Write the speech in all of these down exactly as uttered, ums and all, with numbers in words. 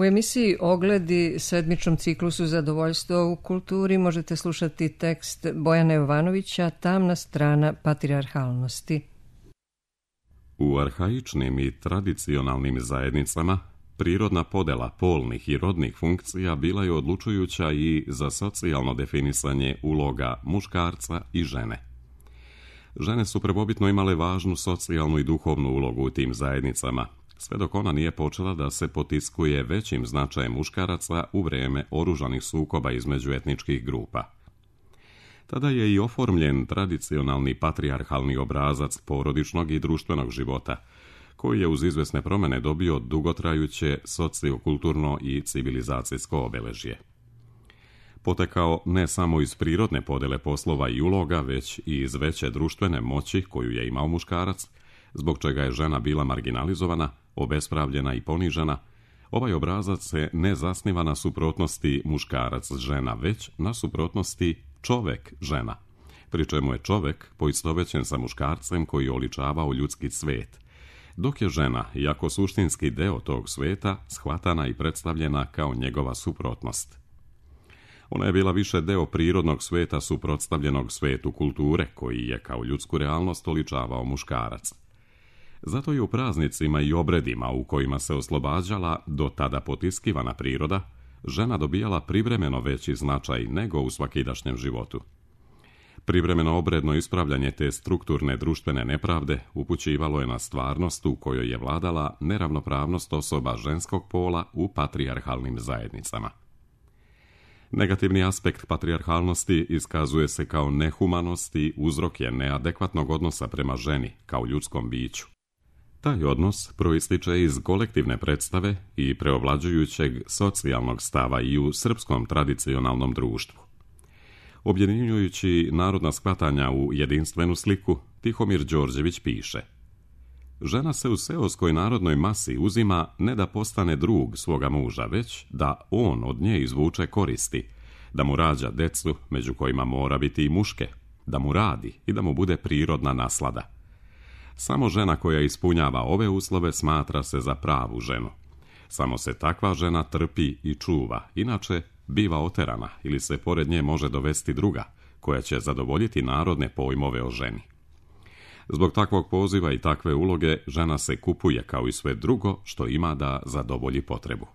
U emisiji Ogledi, sedmičnom ciklusu Zadovoljstvo u kulturi, možete slušati tekst Bojana Jovanovića Tamna strana patrijarhalnosti. U arhaičnim i tradicionalnim zajednicama prirodna podela polnih i rodnih funkcija bila je odlučujuća i za socijalno definisanje uloga muškarca i žene. Žene su prvobitno imale važnu socijalnu i duhovnu ulogu u tim zajednicama, sve dok ona nije počela da se potiskuje većim značajem muškaraca u vrijeme oružanih sukoba između etničkih grupa. Tada je i oformljen tradicionalni patrijarhalni obrazac porodičnog i društvenog života, koji je uz izvesne promjene dobio dugotrajuće sociokulturno i civilizacijsko obeležje. Potekao ne samo iz prirodne podele poslova i uloga, već i iz veće društvene moći koju je imao muškarac, zbog čega je žena bila marginalizovana, obespravljena i ponižena. Ovaj obrazac se ne zasniva na suprotnosti muškarac-žena, već na suprotnosti čovek-žena, pri čemu je čovek poistovećen sa muškarcem koji je oličavao ljudski svet, dok je žena, iako suštinski deo tog sveta, shvatana i predstavljena kao njegova suprotnost. Ona je bila više deo prirodnog sveta suprotstavljenog svetu kulture, koji je kao ljudsku realnost oličavao muškarac. Zato je u praznicima i obredima u kojima se oslobađala do tada potiskivana priroda, žena dobijala privremeno veći značaj nego u svakidašnjem životu. Privremeno obredno ispravljanje te strukturne društvene nepravde upućivalo je na stvarnost u kojoj je vladala neravnopravnost osoba ženskog pola u patrijarhalnim zajednicama. Negativni aspekt patrijarhalnosti iskazuje se kao nehumanost i uzrok je neadekvatnog odnosa prema ženi kao ljudskom biću. Taj odnos proističe iz kolektivne predstave i preovlađujućeg socijalnog stava i u srpskom tradicionalnom društvu. Objedinjujući narodna shvatanja u jedinstvenu sliku, Tihomir Đorđević piše: žena se u seoskoj narodnoj masi uzima ne da postane drug svoga muža, već da on od nje izvuče koristi, da mu rađa decu, među kojima mora biti i muške, da mu radi i da mu bude prirodna naslada. Samo žena koja ispunjava ove uslove smatra se za pravu ženu. Samo se takva žena trpi i čuva, inače biva oterana ili se pored nje može dovesti druga, koja će zadovoljiti narodne pojmove o ženi. Zbog takvog poziva i takve uloge žena se kupuje kao i sve drugo što ima da zadovolji potrebu.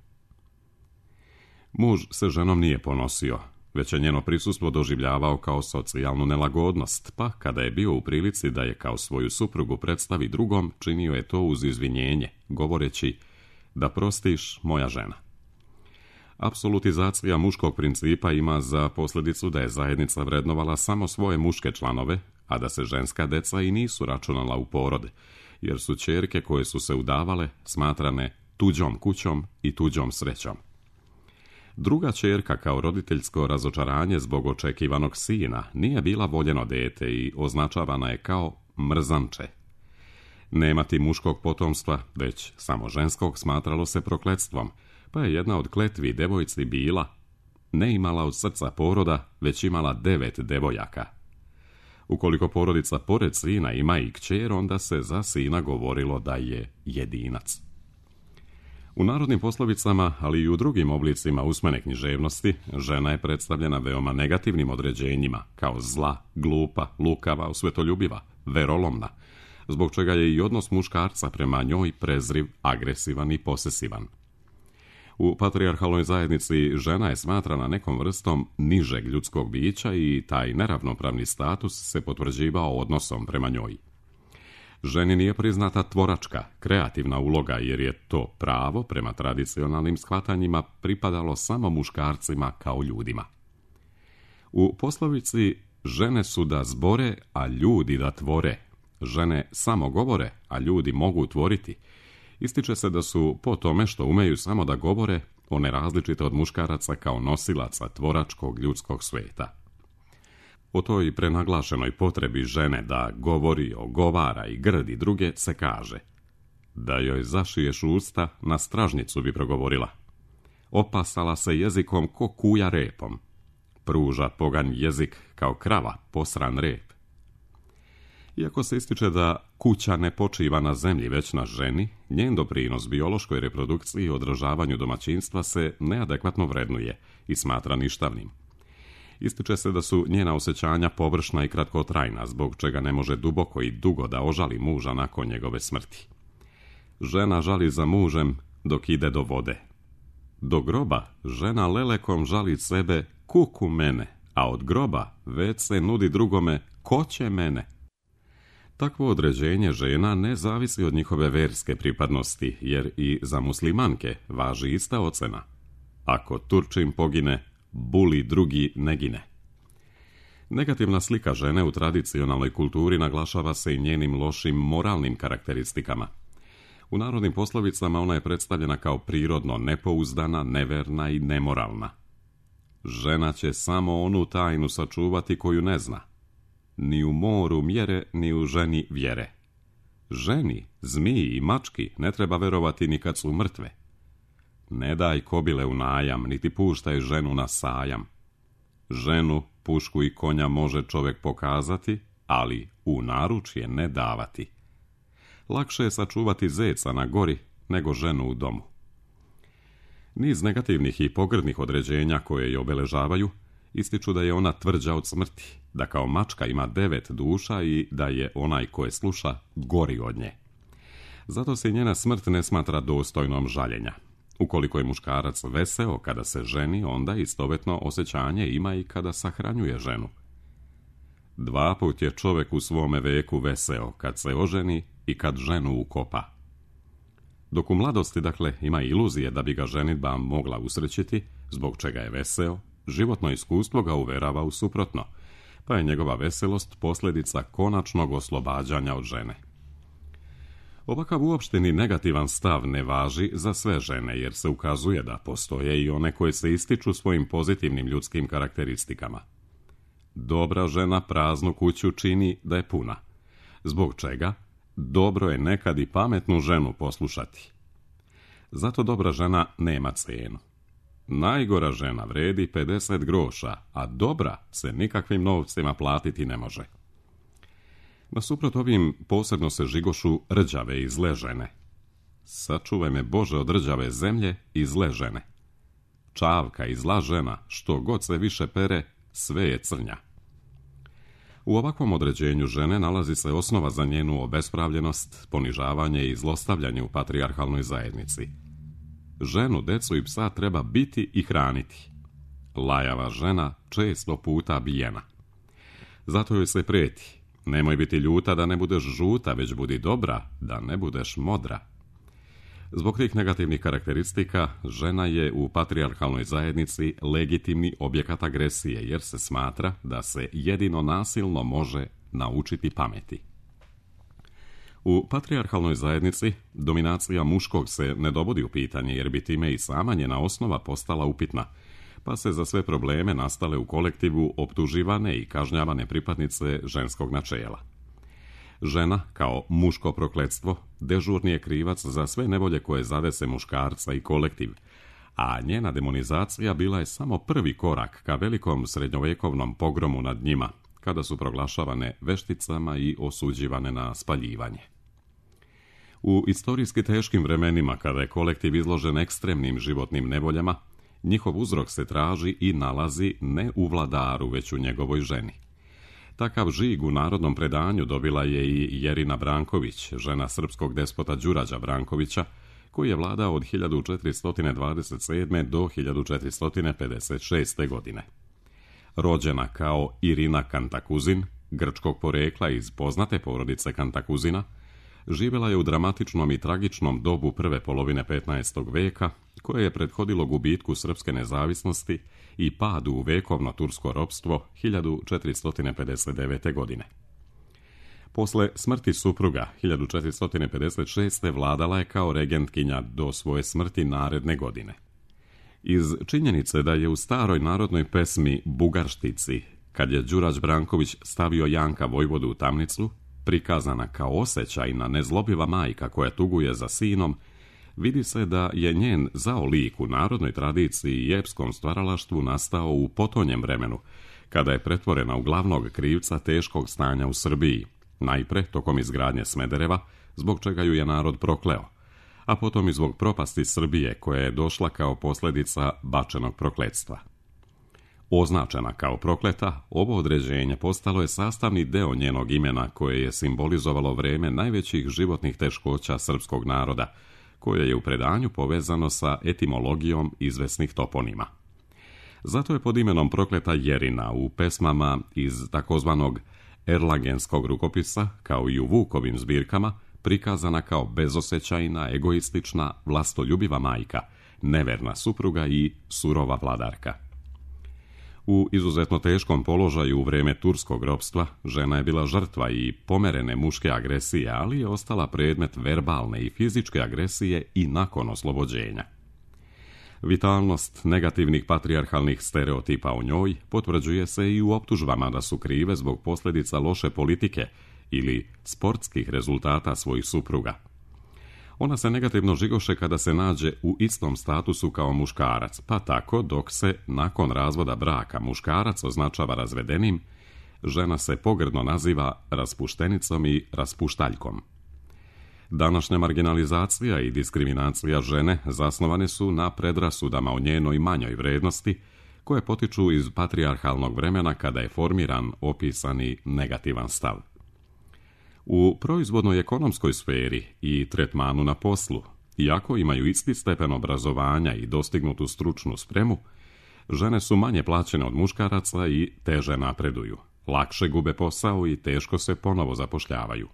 Muž se ženom nije ponosio, već je njeno prisustvo doživljavao kao socijalnu nelagodnost, pa kada je bio u prilici da je kao svoju suprugu predstavi drugom, činio je to uz izvinjenje, govoreći: da prostiš, moja žena. Apsolutizacija muškog principa ima za posljedicu da je zajednica vrednovala samo svoje muške članove, a da se ženska deca i nisu računala u porod, jer su ćerke koje su se udavale smatrane tuđom kućom i tuđom srećom. Druga ćerka kao roditeljsko razočaranje zbog očekivanog sina nije bila voljeno dete i označavana je kao mrzanče. Nemati muškog potomstva, već samo ženskog, smatralo se prokletstvom, pa je jedna od kletvi devojci bila: ne imala od srca poroda, već imala devet devojaka. Ukoliko porodica pored sina ima i kćer, onda se za sina govorilo da je jedinac. U narodnim poslovicama, ali i u drugim oblicima usmene književnosti, žena je predstavljena veoma negativnim određenjima, kao zla, glupa, lukava, osvetoljubiva, verolomna, zbog čega je i odnos muškarca prema njoj prezriv, agresivan i posesivan. U patrijarhalnoj zajednici žena je smatrana nekom vrstom nižeg ljudskog bića i taj neravnopravni status se potvrđivao odnosom prema njoj. Ženi nije priznata tvoračka, kreativna uloga, jer je to pravo prema tradicionalnim shvatanjima pripadalo samo muškarcima kao ljudima. U poslovici žene su da zbore, a ljudi da tvore, žene samo govore, a ljudi mogu tvoriti, ističe se da su po tome što umeju samo da govore one različite od muškaraca kao nosilaca tvoračkog ljudskog sveta. O toj prenaglašenoj potrebi žene da govori, ogovara i grdi druge se kaže: da joj zašiješ usta, na stražnicu bi progovorila. Opasala se jezikom ko kuja repom. Pruža poganj jezik kao krava posran rep. Iako se ističe da kuća ne počiva na zemlji već na ženi, njen doprinos biološkoj reprodukciji i održavanju domaćinstva se neadekvatno vrednuje i smatra ništavnim. Ističe se da su njena osjećanja površna i kratkotrajna, zbog čega ne može duboko i dugo da ožali muža nakon njegove smrti. Žena žali za mužem dok ide do vode. Do groba žena lelekom žali sebe kuku mene, a od groba već se nudi drugome ko će mene. Takvo određenje žena ne zavisi od njihove verske pripadnosti, jer i za muslimanke važi ista ocena. Ako Turčin pogine, buli drugi ne gine. Negativna slika žene u tradicionalnoj kulturi naglašava se i njenim lošim moralnim karakteristikama. U narodnim poslovicama ona je predstavljena kao prirodno nepouzdana, neverna i nemoralna. Žena će samo onu tajnu sačuvati koju ne zna. Ni u moru mjere, ni u ženi vjere. Ženi, zmiji i mački ne treba verovati ni kad su mrtve. Ne daj kobile u najam, niti puštaj ženu na sajam. Ženu, pušku i konja može čovjek pokazati, ali u naručje ne davati. Lakše je sačuvati zeca na gori nego ženu u domu. Niz negativnih i pogrdnih određenja koje je obeležavaju ističu da je ona tvrđa od smrti, da kao mačka ima devet duša i da je onaj koje sluša gori od nje. Zato se njena smrt ne smatra dostojnom žaljenja. Ukoliko je muškarac veseo kada se ženi, onda istovetno osjećanje ima i kada sahranjuje ženu. Dva put je čovjek u svome veku veseo, kad se oženi i kad ženu ukopa. Dok u mladosti, dakle, ima iluzije da bi ga ženidba mogla usrećiti, zbog čega je veseo, životno iskustvo ga uverava u suprotno, pa je njegova veselost posljedica konačnog oslobađanja od žene. Ovakav uopšteni negativan stav ne važi za sve žene, jer se ukazuje da postoje i one koje se ističu svojim pozitivnim ljudskim karakteristikama. Dobra žena praznu kuću čini da je puna. Zbog čega? Dobro je nekad i pametnu ženu poslušati. Zato dobra žena nema cenu. Najgora žena vredi pedeset groša, a dobra se nikakvim novcima platiti ne može. Nasuprot ovim posebno se žigošu rđave i zle žene. Sačuvaj me Bože od rđave zemlje i zle žene. Čavka i zla žena, što god se više pere, sve je crnja. U ovakvom određenju žene nalazi se osnova za njenu obespravljenost, ponižavanje i zlostavljanje u patrijarhalnoj zajednici. Ženu, decu i psa treba biti i hraniti. Lajava žena često puta bijena. Zato joj se prijeti. Nemoj biti ljuta da ne budeš žuta, već budi dobra, da ne budeš modra. Zbog tih negativnih karakteristika, žena je u patrijarhalnoj zajednici legitimni objekat agresije, jer se smatra da se jedino nasilno može naučiti pameti. U patrijarhalnoj zajednici dominacija muškog se ne dovodi u pitanje, jer bi time i sama njena osnova postala upitna, pa se za sve probleme nastale u kolektivu optuživane i kažnjavane pripadnice ženskog načela. Žena, kao muško prokletstvo, dežurni je krivac za sve nevolje koje zadese muškarca i kolektiv, a njena demonizacija bila je samo prvi korak ka velikom srednjovjekovnom pogromu nad njima, kada su proglašavane vešticama i osuđivane na spaljivanje. U istorijski teškim vremenima, kada je kolektiv izložen ekstremnim životnim nevoljama, njihov uzrok se traži i nalazi ne u vladaru, već u njegovoj ženi. Takav žig u narodnom predanju dobila je i Jerina Branković, žena srpskog despota Đurađa Brankovića, koji je vladao od hiljadu četiristo dvadeset sedme. do hiljadu četiristo pedeset šeste. godine. Rođena kao Irina Kantakuzin, grčkog porekla iz poznate porodice Kantakuzina, živjela je u dramatičnom i tragičnom dobu prve polovine petnaestog veka, koje je prethodilo gubitku srpske nezavisnosti i padu u vekovno tursko ropstvo hiljadu četiristo pedeset devete. godine. Posle smrti supruga hiljadu četiristo pedeset šeste. vladala je kao regentkinja do svoje smrti naredne godine. Iz činjenice da je u staroj narodnoj pesmi Bugarštici, kad je Đurađ Branković stavio Janka Vojvodu u tamnicu, prikazana kao osjećajna, nezlobiva majka koja tuguje za sinom, vidi se da je njen zao lik u narodnoj tradiciji i epskom stvaralaštvu nastao u potonjem vremenu, kada je pretvorena u glavnog krivca teškog stanja u Srbiji, Najpre tokom izgradnje Smedereva, zbog čega ju je narod prokleo, a potom i zbog propasti Srbije koja je došla kao posljedica bačenog prokletstva. Označena kao prokleta, ovo određenje postalo je sastavni deo njenog imena koje je simbolizovalo vreme najvećih životnih teškoća srpskog naroda, koje je u predanju povezano sa etimologijom izvesnih toponima. Zato je pod imenom prokleta Jerina u pesmama iz takozvanog Erlangenskog rukopisa, kao i u Vukovim zbirkama, prikazana kao bezosjećajna, egoistična, vlastoljubiva majka, neverna supruga i surova vladarka. U izuzetno teškom položaju u vrijeme turskog ropstva, žena je bila žrtva i pomerene muške agresije, ali je ostala predmet verbalne i fizičke agresije i nakon oslobođenja. Vitalnost negativnih patrijarhalnih stereotipa o njoj potvrđuje se i u optužbama da su krive zbog posljedica loše politike ili sportskih rezultata svojih supruga. Ona se negativno žigoše kada se nađe u istom statusu kao muškarac, pa tako dok se nakon razvoda braka muškarac označava razvedenim, žena se pogrdno naziva raspuštenicom i raspuštaljkom. Današnja marginalizacija i diskriminacija žene zasnovane su na predrasudama o njenoj manjoj vrednosti, koje potiču iz patrijarhalnog vremena kada je formiran opisani negativan stav. U proizvodnoj ekonomskoj sferi i tretmanu na poslu, iako imaju isti stepen obrazovanja i dostignutu stručnu spremu, žene su manje plaćene od muškaraca i teže napreduju, lakše gube posao i teško se ponovo zapošljavaju.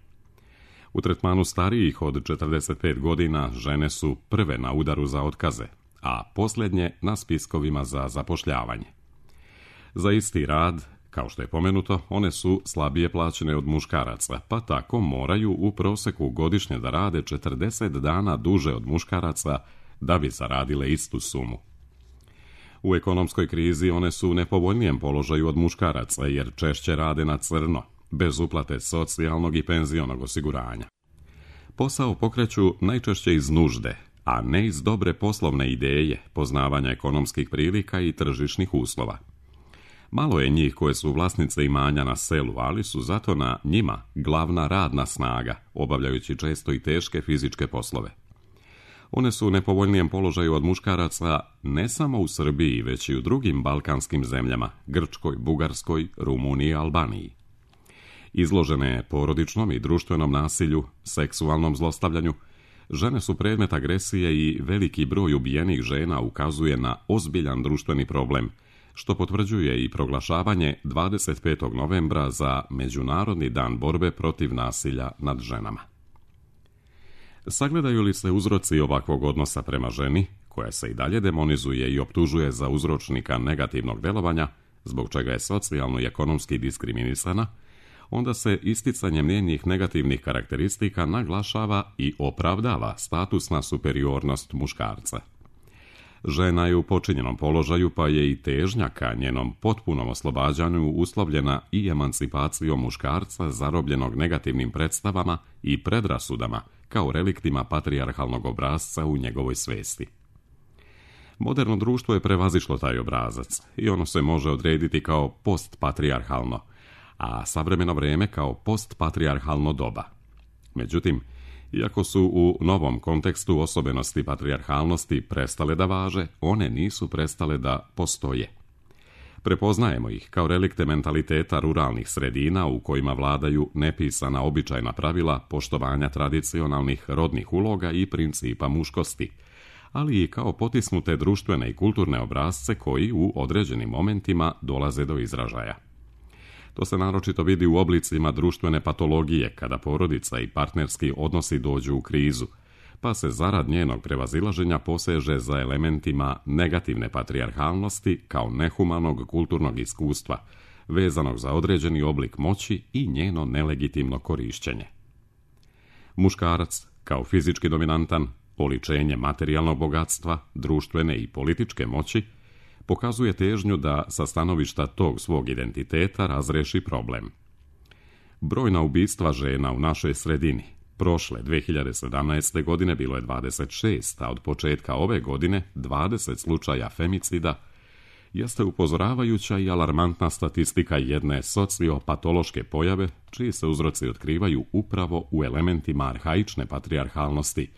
U tretmanu starijih od četrdeset pet godina žene su prve na udaru za otkaze, a posljednje na spiskovima za zapošljavanje. Za isti rad, kao što je pomenuto, one su slabije plaćene od muškaraca, pa tako moraju u proseku godišnje da rade četrdeset dana duže od muškaraca da bi zaradile istu sumu. U ekonomskoj krizi one su u nepovoljnijem položaju od muškaraca jer češće rade na crno, bez uplate socijalnog i penzionog osiguranja. Posao pokreću najčešće iz nužde, a ne iz dobre poslovne ideje, poznavanja ekonomskih prilika i tržišnih uslova. Malo je njih koje su vlasnice imanja na selu, ali su zato na njima glavna radna snaga, obavljajući često i teške fizičke poslove. One su u nepovoljnijem položaju od muškaraca ne samo u Srbiji, već i u drugim balkanskim zemljama, Grčkoj, Bugarskoj, Rumuniji i Albaniji. Izložene porodičnom i društvenom nasilju, seksualnom zlostavljanju, žene su predmet agresije i veliki broj ubijenih žena ukazuje na ozbiljan društveni problem, što potvrđuje i proglašavanje dvadeset petog novembra za Međunarodni dan borbe protiv nasilja nad ženama. Sagledaju li se uzroci ovakvog odnosa prema ženi, koja se i dalje demonizuje i optužuje za uzročnika negativnog delovanja, zbog čega je socijalno i ekonomski diskriminisana, onda se isticanjem njenih negativnih karakteristika naglašava i opravdava statusna superiornost muškarca. Žena je u počinjenom položaju, pa je i težnja ka njenom potpunom oslobađanju uslovljena i emancipacijom muškarca zarobljenog negativnim predstavama i predrasudama kao reliktima patrijarhalnog obrasca u njegovoj svesti. Moderno društvo je prevazišlo taj obrazac i ono se može odrediti kao postpatrijarhalno, a savremeno vrijeme kao postpatrijarhalno doba. Međutim, iako su u novom kontekstu osobenosti patrijarhalnosti prestale da važe, one nisu prestale da postoje. Prepoznajemo ih kao relikte mentaliteta ruralnih sredina u kojima vladaju nepisana običajna pravila poštovanja tradicionalnih rodnih uloga i principa muškosti, ali i kao potisnute društvene i kulturne obrasce koji u određenim momentima dolaze do izražaja. To se naročito vidi u oblicima društvene patologije kada porodica i partnerski odnosi dođu u krizu, pa se zarad njenog prevazilaženja poseže za elementima negativne patrijarhalnosti kao nehumanog kulturnog iskustva, vezanog za određeni oblik moći i njeno nelegitimno korišćenje. Muškarac, kao fizički dominantan, oličenje materijalnog bogatstva, društvene i političke moći, pokazuje težnju da sa stanovišta tog svog identiteta razreši problem. Brojna ubistva žena u našoj sredini prošle dve hiljade sedamnaeste. godine bilo je dvadeset šest, a od početka ove godine dvadeset slučaja femicida, jeste upozoravajuća i alarmantna statistika jedne sociopatološke pojave, čiji se uzroci otkrivaju upravo u elementima arhaične patrijarhalnosti,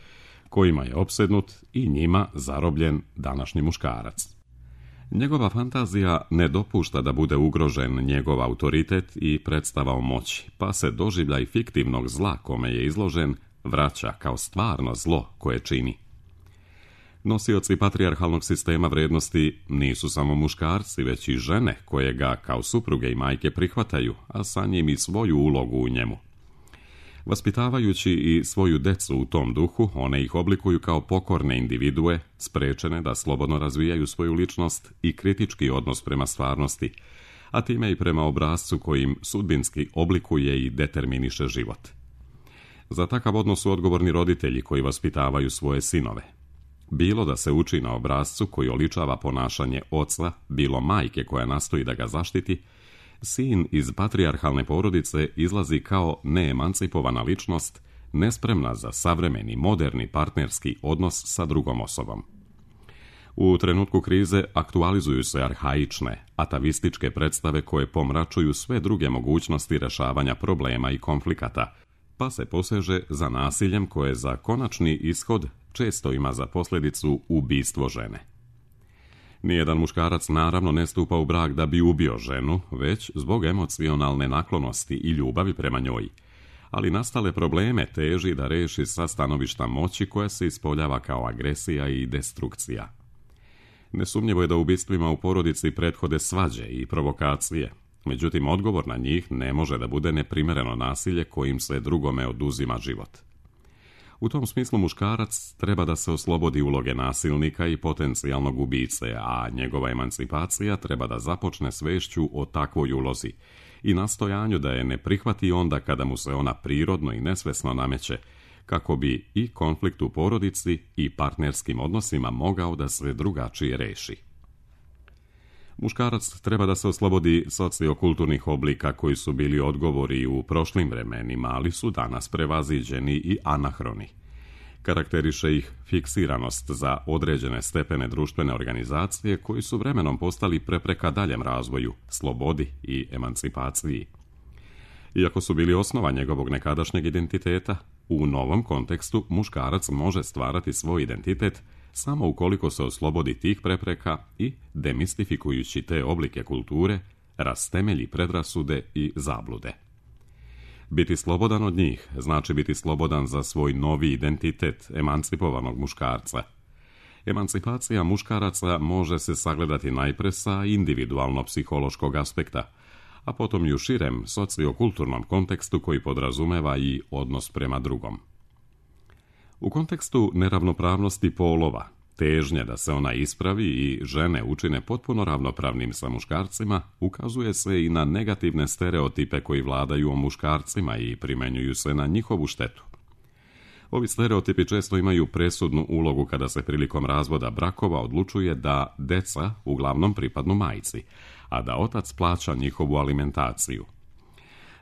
kojima je opsednut i njima zarobljen današnji muškarac. Njegova fantazija ne dopušta da bude ugrožen njegov autoritet i predstava o moći, pa se doživljaj fiktivnog zla kome je izložen vraća kao stvarno zlo koje čini. Nosioci patrijarhalnog sistema vrijednosti nisu samo muškarci, već i žene koje ga kao supruge i majke prihvataju, a sa njim i svoju ulogu u njemu. Vaspitavajući i svoju decu u tom duhu, one ih oblikuju kao pokorne individue, sprečene da slobodno razvijaju svoju ličnost i kritički odnos prema stvarnosti, a time i prema obrascu kojim sudbinski oblikuje i determiniše život. Za takav odnos su odgovorni roditelji koji vaspitavaju svoje sinove. Bilo da se uči na obrascu koji oličava ponašanje oca, bilo majke koja nastoji da ga zaštiti, sin iz patrijarhalne porodice izlazi kao neemancipovana ličnost, nespremna za savremeni, moderni partnerski odnos sa drugom osobom. U trenutku krize aktualizuju se arhaične, atavističke predstave koje pomračuju sve druge mogućnosti rešavanja problema i konflikata, pa se poseže za nasiljem koje za konačni ishod često ima za posljedicu ubistvo žene. Nijedan muškarac naravno ne stupa u brak da bi ubio ženu, već zbog emocionalne naklonosti i ljubavi prema njoj, ali nastale probleme teži da reši sa stanovišta moći koja se ispoljava kao agresija i destrukcija. Nesumnjivo je da ubistvima u porodici prethode svađe i provokacije, međutim odgovor na njih ne može da bude neprimjereno nasilje kojim se drugome oduzima život. U tom smislu muškarac treba da se oslobodi uloge nasilnika i potencijalnog ubice, a njegova emancipacija treba da započne svešću o takvoj ulozi i nastojanju da je ne prihvati onda kada mu se ona prirodno i nesvesno nameće, kako bi i konflikt u porodici i partnerskim odnosima mogao da se drugačije reši. Muškarac treba da se oslobodi sociokulturnih oblika koji su bili odgovori u prošlim vremenima, ali su danas prevaziđeni i anahroni. Karakteriše ih fiksiranost za određene stepene društvene organizacije koji su vremenom postali prepreka daljem razvoju, slobodi i emancipaciji. Iako su bili osnova njegovog nekadašnjeg identiteta, u novom kontekstu muškarac može stvarati svoj identitet samo ukoliko se oslobodi tih prepreka i, demistifikujući te oblike kulture, rastemelji predrasude i zablude. Biti slobodan od njih znači biti slobodan za svoj novi identitet emancipovanog muškarca. Emancipacija muškaraca može se sagledati najpre sa individualno-psihološkog aspekta, a potom i u širem sociokulturnom kontekstu koji podrazumeva i odnos prema drugom. U kontekstu neravnopravnosti polova, težnje da se ona ispravi i žene učine potpuno ravnopravnim sa muškarcima, ukazuje se i na negativne stereotipe koji vladaju o muškarcima i primenjuju se na njihovu štetu. Ovi stereotipi često imaju presudnu ulogu kada se prilikom razvoda brakova odlučuje da deca uglavnom pripadnu majci, a da otac plaća njihovu alimentaciju.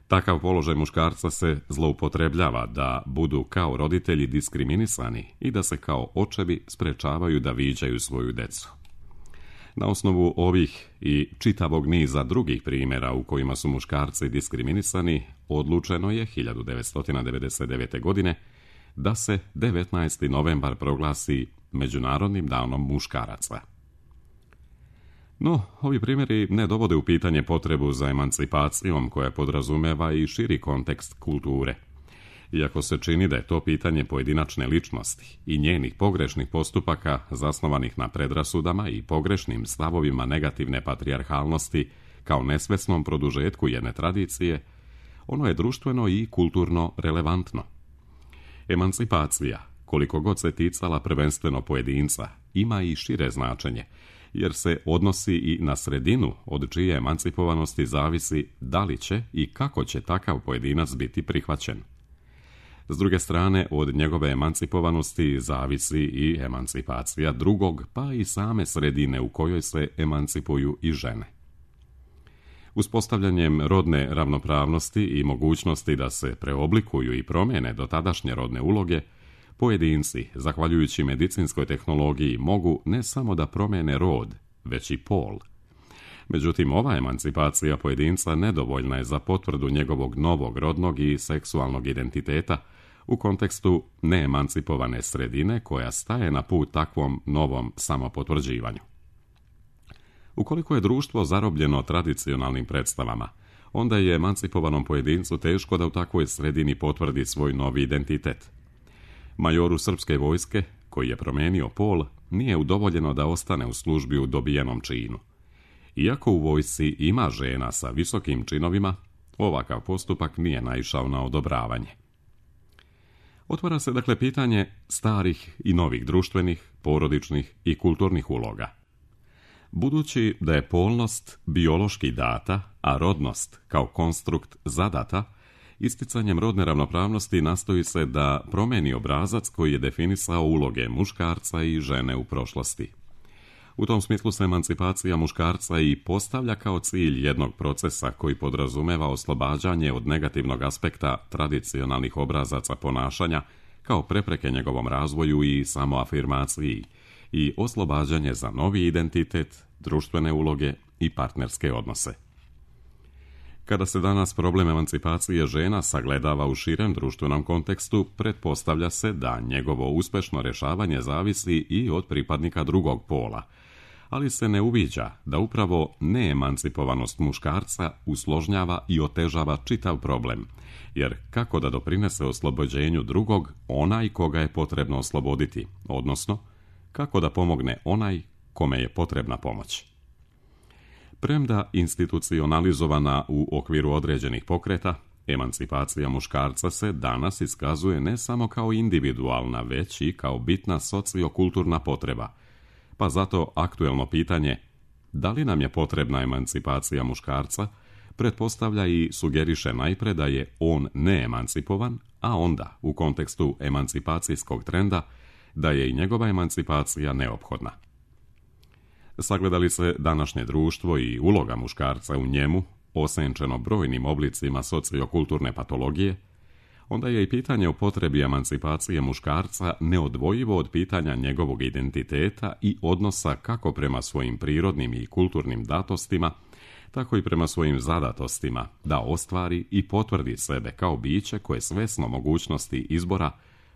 Takav položaj muškarca se zloupotrebljava da budu kao roditelji diskriminisani i da se kao očevi sprečavaju da viđaju svoju decu. Na osnovu ovih i čitavog niza drugih primjera u kojima su muškarci diskriminisani, odlučeno je hiljadu devetsto devedeset devete. godine da se devetnaesti novembar proglasi Međunarodnim danom muškaraca. No, ovi primjeri ne dovode u pitanje potrebu za emancipacijom koja podrazumeva i širi kontekst kulture. Iako se čini da je to pitanje pojedinačne ličnosti i njenih pogrešnih postupaka zasnovanih na predrasudama i pogrešnim stavovima negativne patrijarhalnosti kao nesvesnom produžetku jedne tradicije, ono je društveno i kulturno relevantno. Emancipacija, koliko god se ticala prvenstveno pojedinca, ima i šire značenje, jer se odnosi i na sredinu od čije emancipovanosti zavisi da li će i kako će takav pojedinac biti prihvaćen. S druge strane, od njegove emancipovanosti zavisi i emancipacija drugog, pa i same sredine u kojoj se emancipuju i žene. Uspostavljanjem rodne ravnopravnosti i mogućnosti da se preoblikuju i promijene dotadašnje rodne uloge, pojedinci, zahvaljujući medicinskoj tehnologiji, mogu ne samo da promijene rod, već i pol, Međutim, ova emancipacija pojedinca nedovoljna je za potvrdu njegovog novog rodnog i seksualnog identiteta u kontekstu neemancipovane sredine koja staje na put takvom novom samopotvrđivanju. Ukoliko je društvo zarobljeno tradicionalnim predstavama, onda je emancipovanom pojedincu teško da u takvoj sredini potvrdi svoj novi identitet. Majoru srpske vojske, koji je promijenio pol, nije udovoljeno da ostane u službi u dobijenom činu. Iako u vojsci ima žena sa visokim činovima, ovakav postupak nije naišao na odobravanje. Otvara se dakle pitanje starih i novih društvenih, porodičnih i kulturnih uloga. Budući da je polnost biološki data, a rodnost kao konstrukt zadata, isticanjem rodne ravnopravnosti nastoji se da promeni obrazac koji je definisao uloge muškarca i žene u prošlosti. U tom smislu se emancipacija muškarca i postavlja kao cilj jednog procesa koji podrazumeva oslobađanje od negativnog aspekta tradicionalnih obrazaca ponašanja kao prepreke njegovom razvoju i samoafirmaciji i oslobađanje za novi identitet, društvene uloge i partnerske odnose. Kada se danas problem emancipacije žena sagledava u širem društvenom kontekstu, pretpostavlja se da njegovo uspešno rješavanje zavisi i od pripadnika drugog pola, ali se ne uviđa da upravo neemancipovanost muškarca usložnjava i otežava čitav problem, jer kako da doprinese oslobođenju drugog onaj koga je potrebno osloboditi, odnosno kako da pomogne onaj kome je potrebna pomoć. Premda institucionalizovana u okviru određenih pokreta, emancipacija muškarca se danas iskazuje ne samo kao individualna, već i kao bitna sociokulturna potreba, pa zato aktuelno pitanje da li nam je potrebna emancipacija muškarca pretpostavlja i sugeriše najpre da je on neemancipovan, a onda u kontekstu emancipacijskog trenda da je i njegova emancipacija neophodna. Sagledali se današnje društvo i uloga muškarca u njemu, osenčeno brojnim oblicima sociokulturne patologije, onda je i pitanje o potrebi emancipacije muškarca neodvojivo od pitanja njegovog identiteta i odnosa kako prema svojim prirodnim i kulturnim datostima, tako i prema svojim zadatostima, da ostvari i potvrdi sebe kao biće koje svesno mogućnosti izbora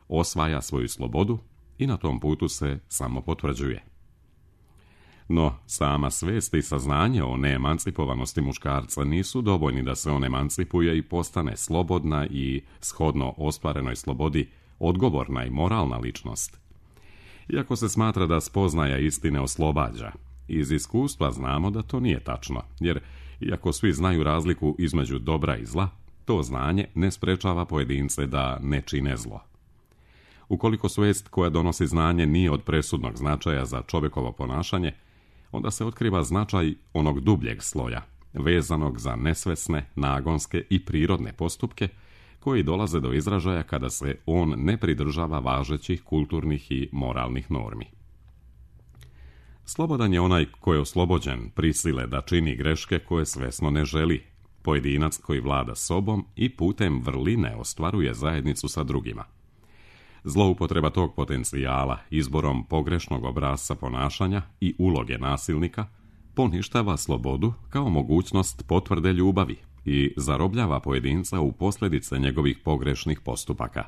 osvaja svoju slobodu i na tom putu se samo potvrđuje. No, sama svest i saznanje o neemancipovanosti muškarca nisu dovoljni da se on emancipuje i postane slobodna i, shodno ostvarenoj slobodi, odgovorna i moralna ličnost. Iako se smatra da spoznaja istine oslobađa, iz iskustva znamo da to nije tačno, jer iako svi znaju razliku između dobra i zla, to znanje ne sprečava pojedince da ne čine zlo. Ukoliko svest koja donosi znanje nije od presudnog značaja za čovjekovo ponašanje, onda se otkriva značaj onog dubljeg sloja, vezanog za nesvesne, nagonske i prirodne postupke, koji dolaze do izražaja kada se on ne pridržava važećih kulturnih i moralnih normi. Slobodan je onaj ko je oslobođen prisile da čini greške koje svesno ne želi, pojedinac koji vlada sobom i putem vrline ostvaruje zajednicu sa drugima. Zloupotreba tog potencijala izborom pogrešnog obrasca ponašanja i uloge nasilnika poništava slobodu kao mogućnost potvrde ljubavi i zarobljava pojedinca u posljedice njegovih pogrešnih postupaka.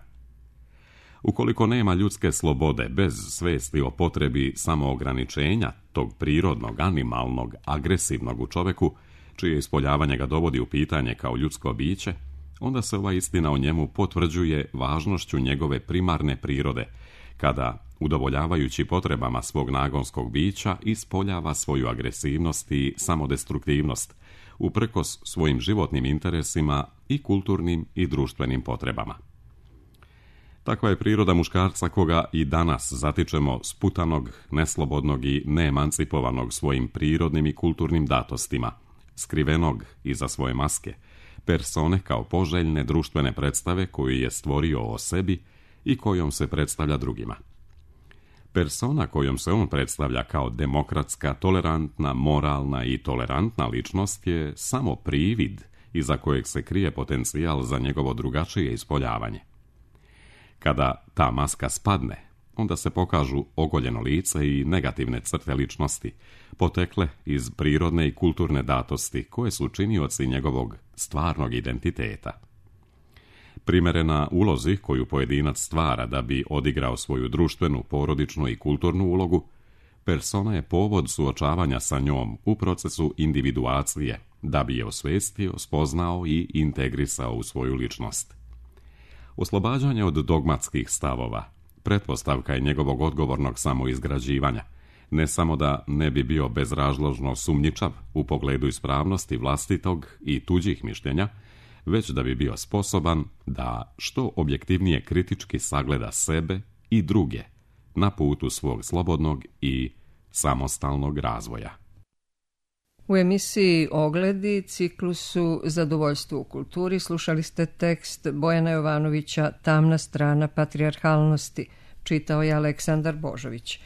Ukoliko nema ljudske slobode bez svesti o potrebi samoograničenja tog prirodnog, animalnog, agresivnog u čovjeku, čije ispoljavanje ga dovodi u pitanje kao ljudsko biće, onda se ova istina o njemu potvrđuje važnošću njegove primarne prirode, kada, udovoljavajući potrebama svog nagonskog bića, ispoljava svoju agresivnost i samodestruktivnost, uprkos svojim životnim interesima i kulturnim i društvenim potrebama. Takva je priroda muškarca koga i danas zatičemo sputanog, neslobodnog i neemancipovanog svojim prirodnim i kulturnim datostima, skrivenog iza svoje maske, persone kao poželjne društvene predstave koju je stvorio o sebi i kojom se predstavlja drugima. Persona kojom se on predstavlja kao demokratska, tolerantna, moralna i tolerantna ličnost je samo privid iza kojeg se krije potencijal za njegovo drugačije ispoljavanje. Kada ta maska spadne, onda se pokažu ogoljeno lice i negativne crte ličnosti, potekle iz prirodne i kulturne datosti koje su činioci njegovog stvarnog identiteta. Primerena ulozi koju pojedinac stvara da bi odigrao svoju društvenu, porodičnu i kulturnu ulogu, persona je povod suočavanja sa njom u procesu individuacije, da bi je osvestio, spoznao i integrisao u svoju ličnost. Oslobađanje od dogmatskih stavova pretpostavka je njegovog odgovornog samoizgrađivanja, ne samo da ne bi bio bezrazložno sumnjičav u pogledu ispravnosti vlastitog i tuđih mišljenja, već da bi bio sposoban da što objektivnije kritički sagleda sebe i druge na putu svog slobodnog i samostalnog razvoja. U emisiji Ogledi, ciklusu Zadovoljstvo u kulturi, slušali ste tekst Bojana Jovanovića Tamna strana patrijarhalnosti, čitao je Aleksandar Božović.